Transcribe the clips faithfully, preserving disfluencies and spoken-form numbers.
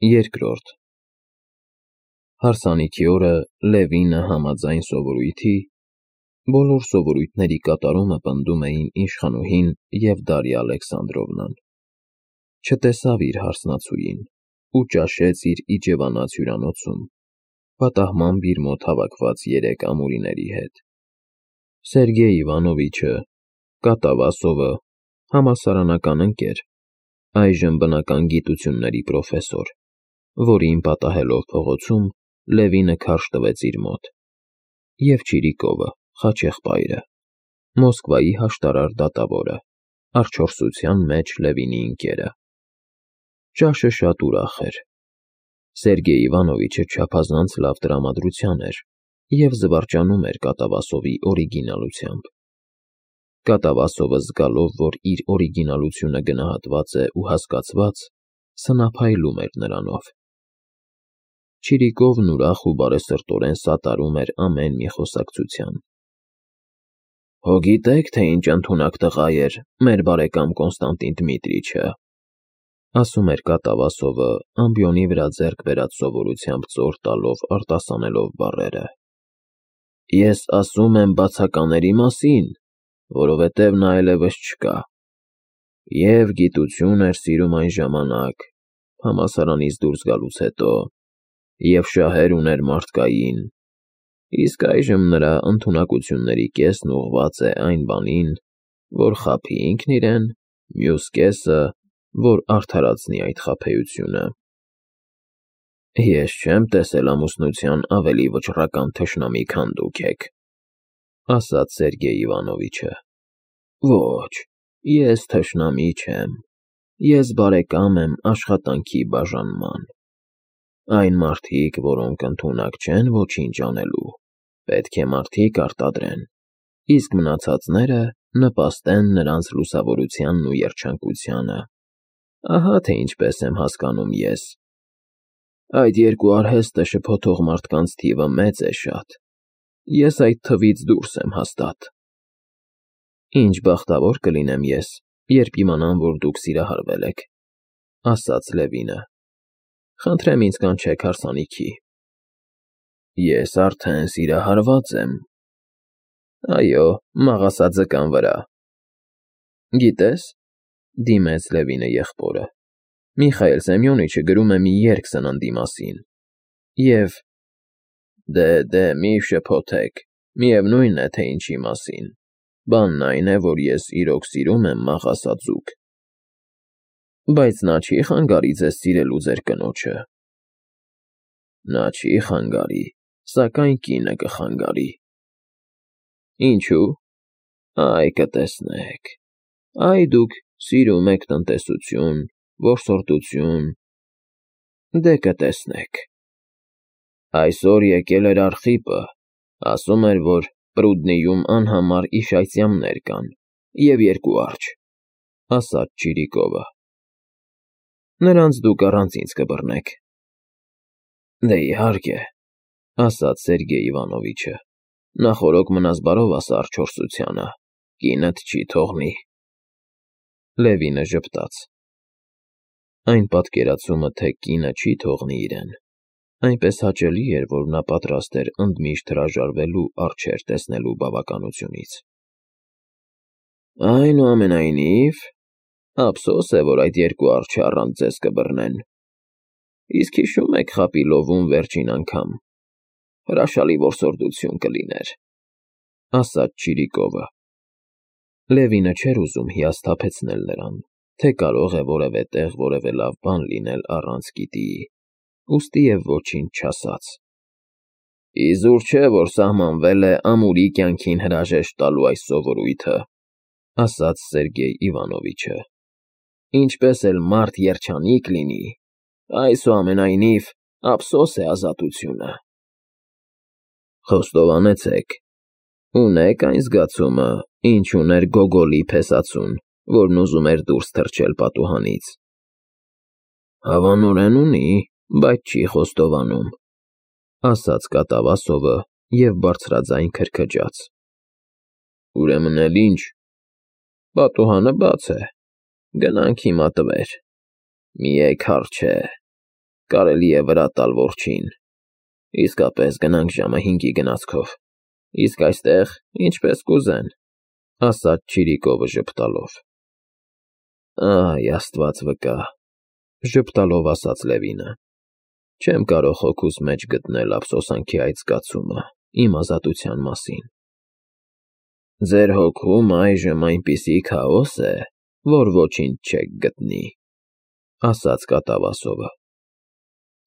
Երկրորդ Հարսանիքի օրը Լևինը համաձայն սովորույթի բոլոր սովորույթների կատարումը պնդում էին իշխանուհին և Դարիա Ալեքսանդրովնան։ Չտեսավ իր հարսնացուին ու ճաշեց իր իջևանած հյուրանոցում, պատահմամբ իր մոտ հավաքված երեք ամուրիների հետ։ Սերգեյ Իվանովիչը, Կատավասովը, համալսարանական ընկեր, այժմ բնական գիտությունների պրոֆեսոր, որին պատահելով փողոցում Լևինը քարշ տվեց իր մոտ, և Չիրիկովը, խաչեղբայրը, Մոսկվայի հաշտարար դատավորը, արջորսության մեջ Լևինի ընկերը։ Ճաշը շատ ուրախ էր։ Սերգեյ Իվանովիչը չափազանց լավ տրամադրության էր և զվարճանում էր Կատավասովի օրիգինալությամբ։ Կատավասովը զգալով, որ իր օրիգինալությունը գնահատված է ու հասկացված, սնափայլում էր նրանով։ Չիրիկովն ուրախ ու բարեսրտորեն սատարում էր ամեն մի խոսակցության։ Հո գիտե՞ք, թե ինչ ընդունակ տղա էր մեր բարեկամ Կոնստանտին Դմիտրիչը, ասում էր Կատավասովը, ամբիոնի վրա ձեռք բերած սովորությամբ ծոր տալով արտասանելով բառերը։ Ես ասում եմ բացակաների մասին, որովհետև նա այլևս չկա։ Եվ գիտություն էր սիրում այն ժամանակ, համալսարանից դուրս գալուց հետո, և շահեր ուներ մարդկային, իսկ այժմ նրա ընդունակությունների կեսն ուղղված է այն բանին, որ խաբի ինքն իրեն, մյուս կեսը, որ արդարացնի այդ խաբեությունը։ Ես չեմ տեսել ամուսնության ավելի վճռական թշնամի, քան դուք եք, ասաց Սերգեյ Իվանովիչը։ Ոչ, ես թշնամի չեմ, ես բարեկամ եմ աշխատանքի բաժանման։ Այն մարդիկ, որոնք ընդունակ չեն ոչինչ անելու, պետք է մարդիկ արտադրեն, իսկ մնացածները նպաստեն նրանց լուսավորությանն ու երջանկությանը։ Ահա թե ինչպես եմ հասկանում ես։ Այդ երկու արհեստը շփոթող մարդկանց թիվը մեծ է շատ, ես այդ թվից դուրս եմ հաստատ։ Ինչ բախտավոր կլինեմ ես, երբ իմանամ, որ դուք սիրահարվել եք, ասաց Լևինը։ Խնդրեմ ինձ կանչեք հարսանիքի։ Ես արդեն սիրահարված եմ։ Այո, մաղասա ձկան վրա։ Գիտես, դիմեց Լևինը եղբորը, Միխայել Սեմյոնիչը գրում է մի երգ սննդի մասին, և… Դե, դե, մի շփոթեք, միևնույն է, թե ինչի մասին, բանն այն է, որ ես իրոք սիրում եմ մաղասա ձուկ։ Բայց նա չի խանգարի ձեզ սիրելու ձեր կնոջը։ Նա չի խանգարի, սակայն կինը կխանգարի։ Ինչու՞։ Այ կտեսնեք։ Այ դուք սիրում եք տնտեսություն, որսորդություն… Դե կտեսնեք։ Այսօր եկել էր Արխիպը, ասում էր, որ Պրուդնիում անհամար իշայծյամներ կան և երկու արջ, ասաց Չիրիկովը։ Նրանց դուք առանց ինձ կբռնեք։ Դե իհարկե, ասաց Սերգեյ Իվանովիչը, նախօրոք մնաս բարով ասա արջորսությանը, կինդ չի թողնի։ Լևինը ժպտաց։ Այն պատկերացումը, թե կինը չի թողնի իրեն, այնպես հաճելի էր, որ նա պատրաստ էր ընդմիշտ հրաժարվելու արջեր տեսնելու բավականությունից։ Այնուամենայնիվ, ափսոս է, որ այդ երկու արջը առանց ձեզ կբռնեն։ Իսկ հիշո՞ւմ եք Խապիլովում վերջին անգամ, հրաշալի որսորդություն կլիներ, ասաց Չիրիկովը։ Լևինը չէր ուզում հիասթափեցնել նրան, թե կարող է որևէ տեղ որևէ լավ բան լինել առանց գիտիի, ուստի և ոչինչ չասաց։ Իզուր չէ, որ սահմանվել է ամուրի կյանքին հրաժեշտ տալու այս սովորույթը, ասաց Սերգեյ Իվանովիչը։ Ինչպես էլ մարդ երջանիկ լինի, այսուամենայնիվ ափսոս է ազատությունը։ Խոստովանեցեք, ունե՞ք այն զգացումը, ինչ ուներ Գոգոլի փեսացուն, որն ուզում էր դուրս թռչել պատուհանից։ Հավանորեն ունի, բայց չի խոստովանում, ասաց Կատավասովը և բարձրաձայն քրքջաց։ Ուրեմն էլ ինչ, պատուհանը բաց է, գնանք հիմա տվեր, մի էգ հարճ է։ կարելի է վրա տալ որջին։ Իսկապես գնանք ժամը հինգի գնացքով, իսկ այստեղ ինչպես կուզեն, ասաց Չիրիկովը ժպտալով։ Այ Աստված վկա, ժպտալով ասաց Լևինը, չեմ կարող հոգուս մեջ գտնել ափսոսանքի այդ զգացումը իմ ազատության մասին։ Ձեր հոգում այժմ այնպիսի քաոս է, որ ոչինչ չեք գտնի, ասաց կատավասովը։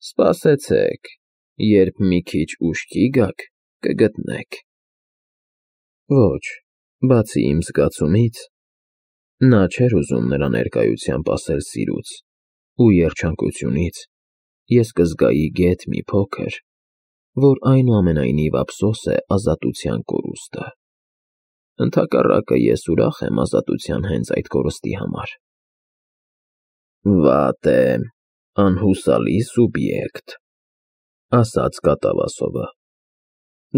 Սպասեցեք, երբ մի քիչ ուշքի գաք, կգտնեք։ Ոչ, բացի իմ զգացումից, նա չէր ուզում նրա ներկայությամբ ասել սիրուց ու երջանկությունից, ես կզգայի գեթ մի փոքր, որ այնուամենայնիվ ափսոս է ազատության կորուստը։ Ընդհակառակը ես ուրախ եմ ազատության հենց այդ կորստի համար։ Վատ է, անհուսալի սուբյեկտ, ասաց կատավասովը։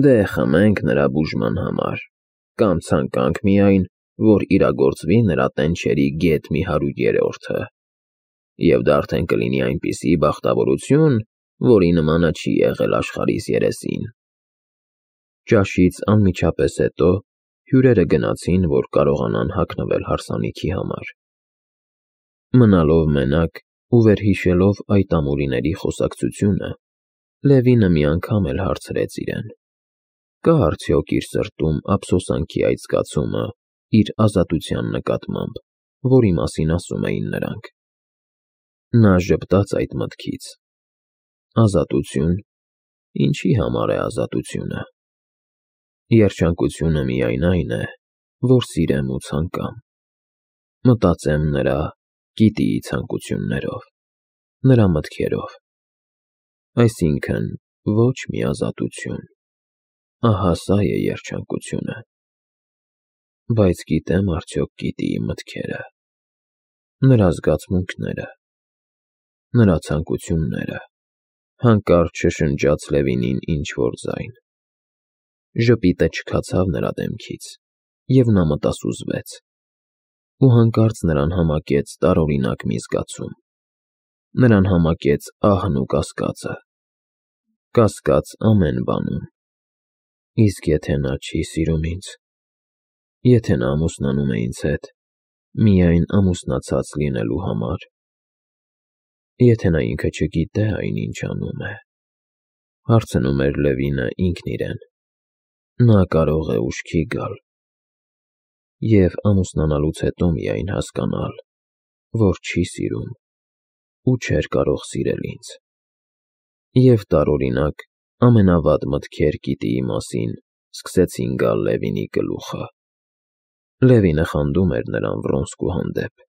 Դե խմենք նրա բուժման համար, կամ ցանկանք միայն, որ իրագործվի նրա տենչերի գեթ մի հարյուր երրորդը, և դա արդեն կլինի այնպիսի բախտավորություն, որի նմանը չի եղել աշխարհիս երեսին։ Ճաշից անմիջապես հետո հյուրերը գնացին, որ կարողանան հագնվել հարսանիքի համար։ Մնալով մենակ ու վերհիշելով այդ ամուրիների խոսակցությունը, Լևինը մի անգամ էլ հարցրեց իրեն. կա արդյոք իր սրտում ափսոսանքի այդ զգացումը իր ազատության նկատմամբ, որի մասին ասում էին նրանք։ Նա ժպտաց այդ մտքից։ Ազատություն, ինչի համար է ազատությունը։ Երջանկությունը միայն այն է, որ սիրեմ ու ցանկամ, մտածեմ նրա գիտիի ցանկություններով, նրա մտքերով, այսինքն ոչ մի ազատություն, ահա սա է երջանկությունը, բայց գիտեմ արդյոք գիտիի մտքերը, նրա զգացմունքները, նրա ցանկությունները, հանկարծ շշնջաց Լևինին ինչ-որ ձայն։ Ժպիտը չքացավ նրա դեմքից, և նա մտասուզվեց, ու հանկարծ նրան համակեց տարօրինակ մի զգացում, նրան համակեց ահն ու կասկածը, կասկած ամեն բանում։ Իսկ եթե նա չի սիրում ինձ, եթե նա ամուսնանում է ինձ հետ միայն ամուսնացած լինելու համար, եթե նա ինքը չգիտե այն, ինչ անում է, հարցնում էր Լևինը ինքն իրեն, նա կարող է ուշքի գալ և ամուսնանալուց հետո միայն հասկանալ, որ չի սիրում ու չէր կարող սիրել ինձ։ Եվ տարօրինակ ամենավատ մտքեր գիտիի մասին սկսեցին գալ Լևինի գլուխը։ Լևինը խանդում էր նրան Վրոնսկու հանդեպ,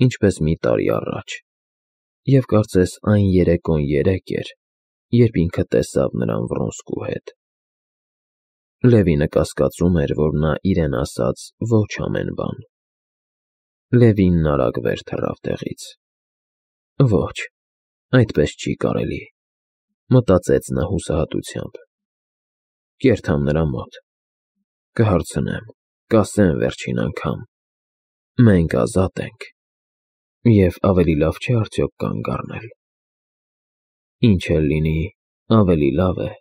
ինչպես մի տարի առաջ, և կարծես այն երեկոն երեկ էր, երբ ինքը տեսավ նրան Վրոնսկու հետ։ Լևինը կասկածում էր, որ նա իրեն ասաց ոչ ամեն բան։ Լևինն արագ վեր թռավ տեղից։ Ոչ, այդպես չի կարելի, մտածեց նա հուսահատությամբ։ Կերթամ նրա մոտ, կհարցնեմ, կասեմ վերջին անգամ. մենք ազատ ենք, և ավելի լավ չէ արդյոք կանգ առնել։ Ինչ էլ լինի, ավելի լավ է,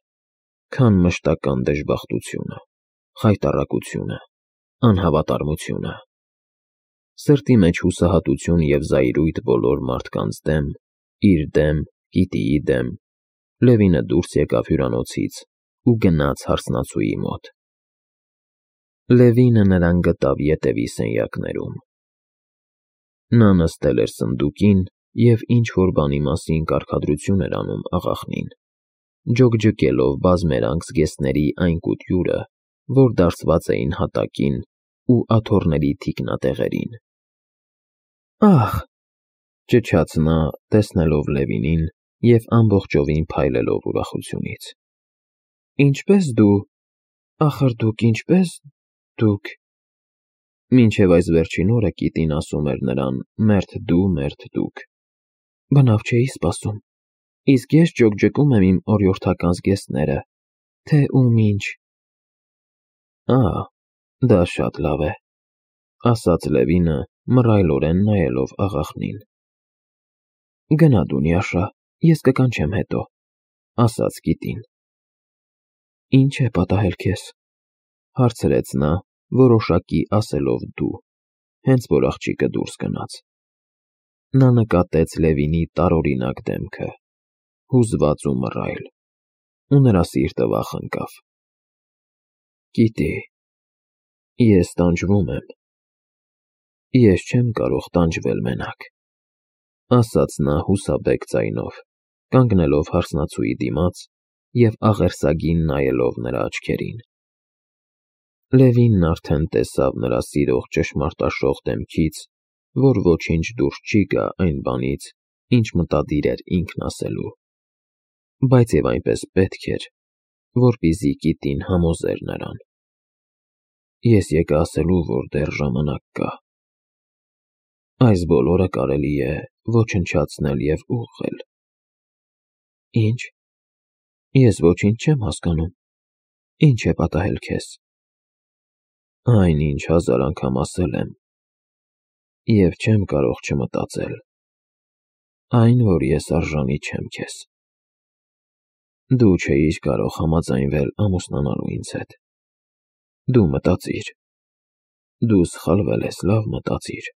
քան մշտական դժբախտությունը, խայտառակությունը, անհավատարմությունը։ Սրտի մեջ հուսահատություն և զայրույթ բոլոր մարդկանց դեմ, իր դեմ, գիտիի դեմ, Լևինը դուրս եկավ հյուրանոցից ու գնաց հարսնացուի մոտ։ Լևինը նրան գտավ ետևի սենյակներում։ Նա նստել էր սնդուկին և ինչ-որ բանի մասին կարգադրություն էր անում աղախնին, ջոկջկելով բազմերանգ զգեստների այն կուտյուրը, որ դարսված էին հատակին ու աթոռների թիկնատեղերին։ Ահ, ճչաց նա, տեսնելով Լևինին և ամբողջովին փայլելով ուրախությունից։ Ինչպե՞ս դու, ախր դուք ինչպե՞ս դուք… Մինչև այս վերջին օրը կիտին ասում էր նրան մերթ դու, մերթ դուք, բնավ չէի սպասում, իսկ ես ջոկջկում եմ իմ օրիորդական զգեստները, թե ում ինչ… Ահ, դա շատ լավ է, ասաց Լևինը, մռայլորեն նայելով աղախնին։ Գնա դու, Նյաշա, ես կկանչեմ հետո, ասաց Կիտին։ Ինչ է պատահել քեզ, հարցրեց նա, որոշակի ասելով դու, հենց որ աղջիկը դուրս գնաց։ Նա նկատեց Լևինի տարօրինակ դեմքը, հուզված ու մռայլ, ու նրա սիրտը վախ ընկավ։ Կիտի, ես տանջվում եմ։ Ես չեմ կարող տանջվել մենակ, ասաց նա հուսաբեկ ձայնով, կանգնելով հարսնացուի դիմաց և աղերսագին նայելով նրա աչքերին։ Լևինն արդեն տեսավ նրա սիրող ճշմարտաշող դեմքից, որ ոչինչ դուրս չի գա այն բանից, ինչ մտադիր էր ինքն ասելու, բայց և այնպես պետք էր, որպեսզի Կիտին համոզեր նրան։ Ես եկա ասելու, որ դեռ ժամանակ կա։ Այս բոլորը կարելի է ոչնչացնել և ուղղել։ Ինչ։ Ես ոչինչ չեմ հասկանում։ Ինչ է պատահել քեզ։ Այն, ինչ հազար անգամ ասել եմ, և չեմ կարող չմտածել, այն, որ ես արժանի չեմ քեզ։ Դու չէիր կարող համաձայնվել ամուսնանալու ինձ հետ։ Դու մտածիր։ Դու սխալվել ես, լավ մտածիր։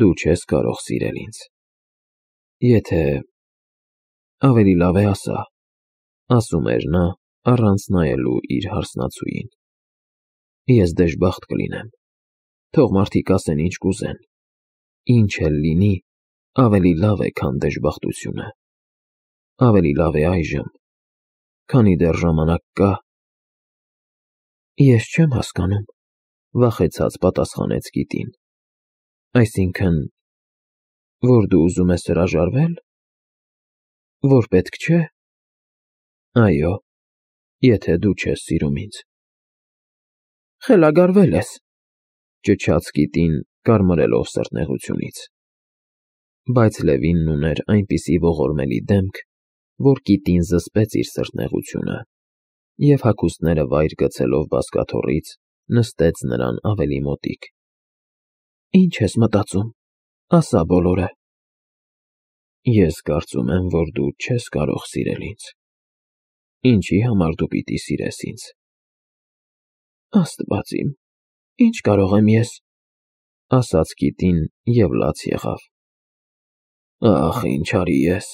Դու չես կարող սիրել ինձ։ Եթե… ավելի լավ է ասա, ասում էր նա, առանց նայելու իր հարսնացուին։ Ես դժբախտ կլինեմ։ Թող մարդիկ ասեն ինչ կուզեն։ Ինչ էլ լինի, ավելի լավ է, քան դժբախտությունը։ Ավելի լավ է այժմ, քանի դեռ ժամանակ կա։ Ես չեմ հասկանում, վախեցած պատասխանեց Կիտին։ Այսինքն, որ դու ուզում ես հրաժարվե՞լ։ Որ պետք չէ։ Այո, եթե դու չես սիրում ինձ։ Խելագարվել ես, ճչաց Կիտին, կարմրելով սրտնեղությունից։ Բայց Լևինն ուներ այնպիսի ողորմելի դեմք, որ Կիտին զսպեց իր սրտնեղությունը և հագուստները վայր գցելով բազկաթոռից, նստեց նրան ավելի մոտիկ։ Ինչ ես մտածում, ասա բոլորը։ Ես կարծում եմ, որ դու չես կարող սիրել ինձ։ Ինչի համար դու պիտի սիրես ինձ։ Աստված իմ, ինչ կարող եմ ես, ասաց Կիտին և լաց եղավ։ Ախ, ինչ արի ես,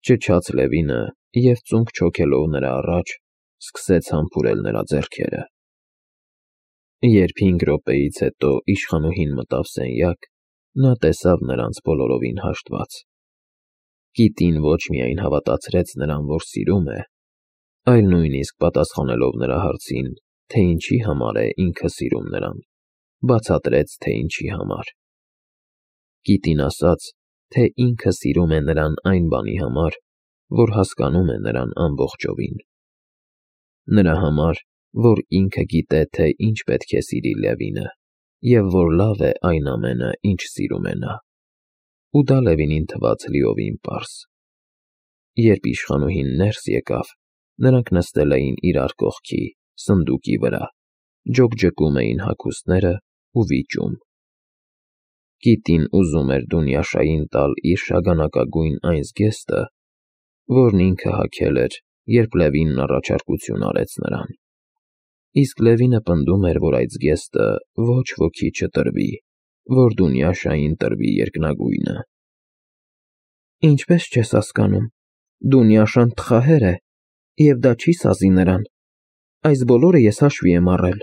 ճչաց Լևինը և ծունկ չոքելով նրա առաջ, սկսեց համբուրել նրա ձեռքերը։ Երբ հինգ րոպեից հետո իշխանուհին մտավ սենյակ, նա տեսավ նրանց բոլորովին հաշտված։ Կիտին ոչ միայն հավատացրեց նրան, որ սիրում է, այլ նույնիսկ պատասխանելով նրա հարցին, թե ինչի համար է ինքը սիրում նրան, բացատրեց, թե ինչի համար։ Կիտին ասաց, թե ինքը սիրում է նրան այն բանի համար, որ հասկանում է նրան ամբողջովին։ Նրա համար, որ ինքը գիտե, թե ինչ պետք է սիրի Լևինը, և որ լավ է այն ամենը, ինչ սիրում է նա։ Ու դա Լևինին թվաց լիովին պարզ։ Երբ իշխանուհին ներս եկավ, նրանք նստել էին իրար կողքի, սնդուկի վրա, ջոկջկում էին հագուստները ու վիճում։ Կիտին ուզում էր Դունյաշային տալ իր շագանակագույն այն զգեստը, որն ինքը հագել էր, երբ Լևինն առաջարկություն արեց նրան։ Իսկ Լևինը պնդում էր, որ այդ զգեստը ոչ ոքի չտրվի, որ Դունյաշային տրվի երկնագույնը։ Ինչպես չես հասկանում, Դունյաշան տխահեր է, և դա չի սազի նրան։ Այս բոլորը ես հաշվի եմ առել։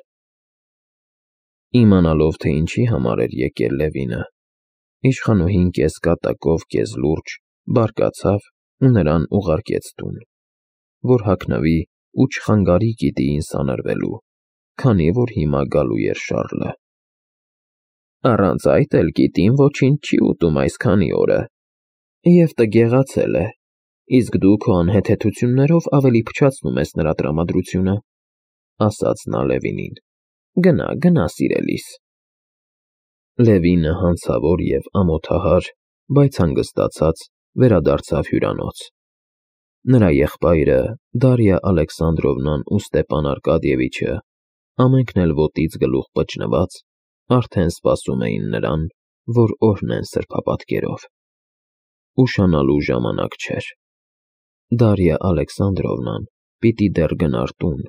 Իմանալով, թե ինչի համար էր եկել Լևինը, իշխանուհին կես կատակով, կես լուրջ բարկացավ ու նրան ուղարկեց տուն, որ հագնվի ու չխանգարի Կիտիին սանրվելու, քանի որ հիմա գալու էր Շառլը։ Առանց այդ էլ Կիտին ոչինչ չի ուտում այս քանի օրը, և տգեղացել է, իսկ դու քո անհեթեթություններով ավելի փչացնում ես նրա տրամադրությունը, ասաց նա Լևինին։ Գնա, գնա, սիրելիս։ Լևինը հանցավոր և ամոթահար, բայց հանգստացած վերադարձավ հյուրանոց։ Նրա եղբայրը, Դարիա Ալեքսանդրովնան ու Ստեպան Արկադիևիչը, ամենքն էլ ոտից գլուխ պճնված, արդեն սպասում էին նրան, որ օրհնեն սրբապատկերով։ ուշանալու ժամանակ չէր։ Դարիա Ալեքսանդրովնան պիտի դեռ գնար տուն,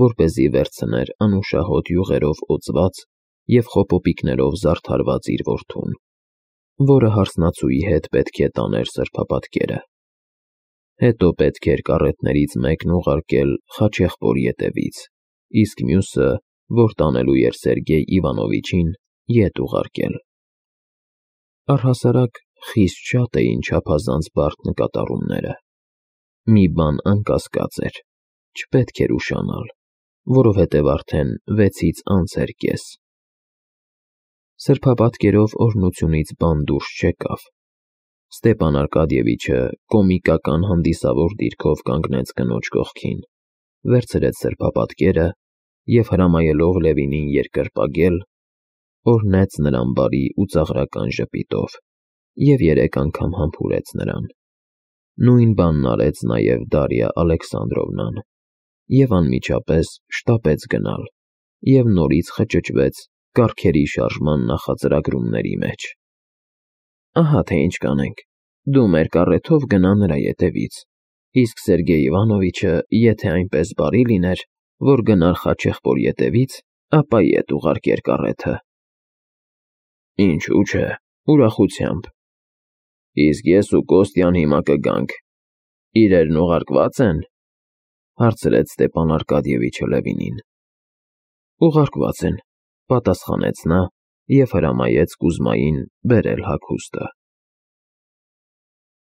որպեսզի վերցներ անուշահոտ յուղերով օծված և խոպոպիկներով զարդարված իր որդուն, որը հարսնացուի հետ պետք է տաներ սրբապատկերը։ Հետո պետք էր կառետներից մեկն ուղարկել Խաչեղբոր ետևից, իսկ մյուսը, որ տանելու էր Սերգեյ Իվանովիչին, ետ ուղարկել։ Առհասարակ խիստ շատ էին չափազանց բարդ նկատառումները։ Մի բան անկասկած էր, չպետք էր ուշանալ, որովհետև արդեն վեցից անց էր կես։ Սրբապատկերով օրհնությունից բան դուրս չեկավ։ Ստեպան Արկադիևիչը կոմիկական հանդիսավոր դիրքով կանգնեց կնոջ կողքին, վերցրեց սրբապատկերը և, հրամայելով Լևինին երկրպագել, օրհնեց նրան բարի ու ծաղրական ժպիտով և երեք անգամ համբուրեց նրան։ Նույն բանն արեց նաև Դարիա Ալեքսանդրովնան և անմիջապես շտապեց գնալ և նորից խճճվեց կառքերի շարժման նախածրագրումների մեջ։ Ահա թե ինչ կանենք, դու մեր կառեթով գնա նրա ետևից, իսկ Սերգեյ Իվանովիչը, եթե այնպես բարի լիներ, որ գնար Խաչեղբոր ետևից, ապա ետ ուղարկեր կառեթը։ Ինչու՞ չէ, ուրախությամբ։ Իսկ ես ու Կոստյան հիմա կգանք, իրերն ուղարկվա՞ծ են, հարցրեց Ստեպան Արկադիևիչը Լևինին։ Ուղարկված են, պատասխանեց նա և հրամայեց Կուզմային բերել հագուստը։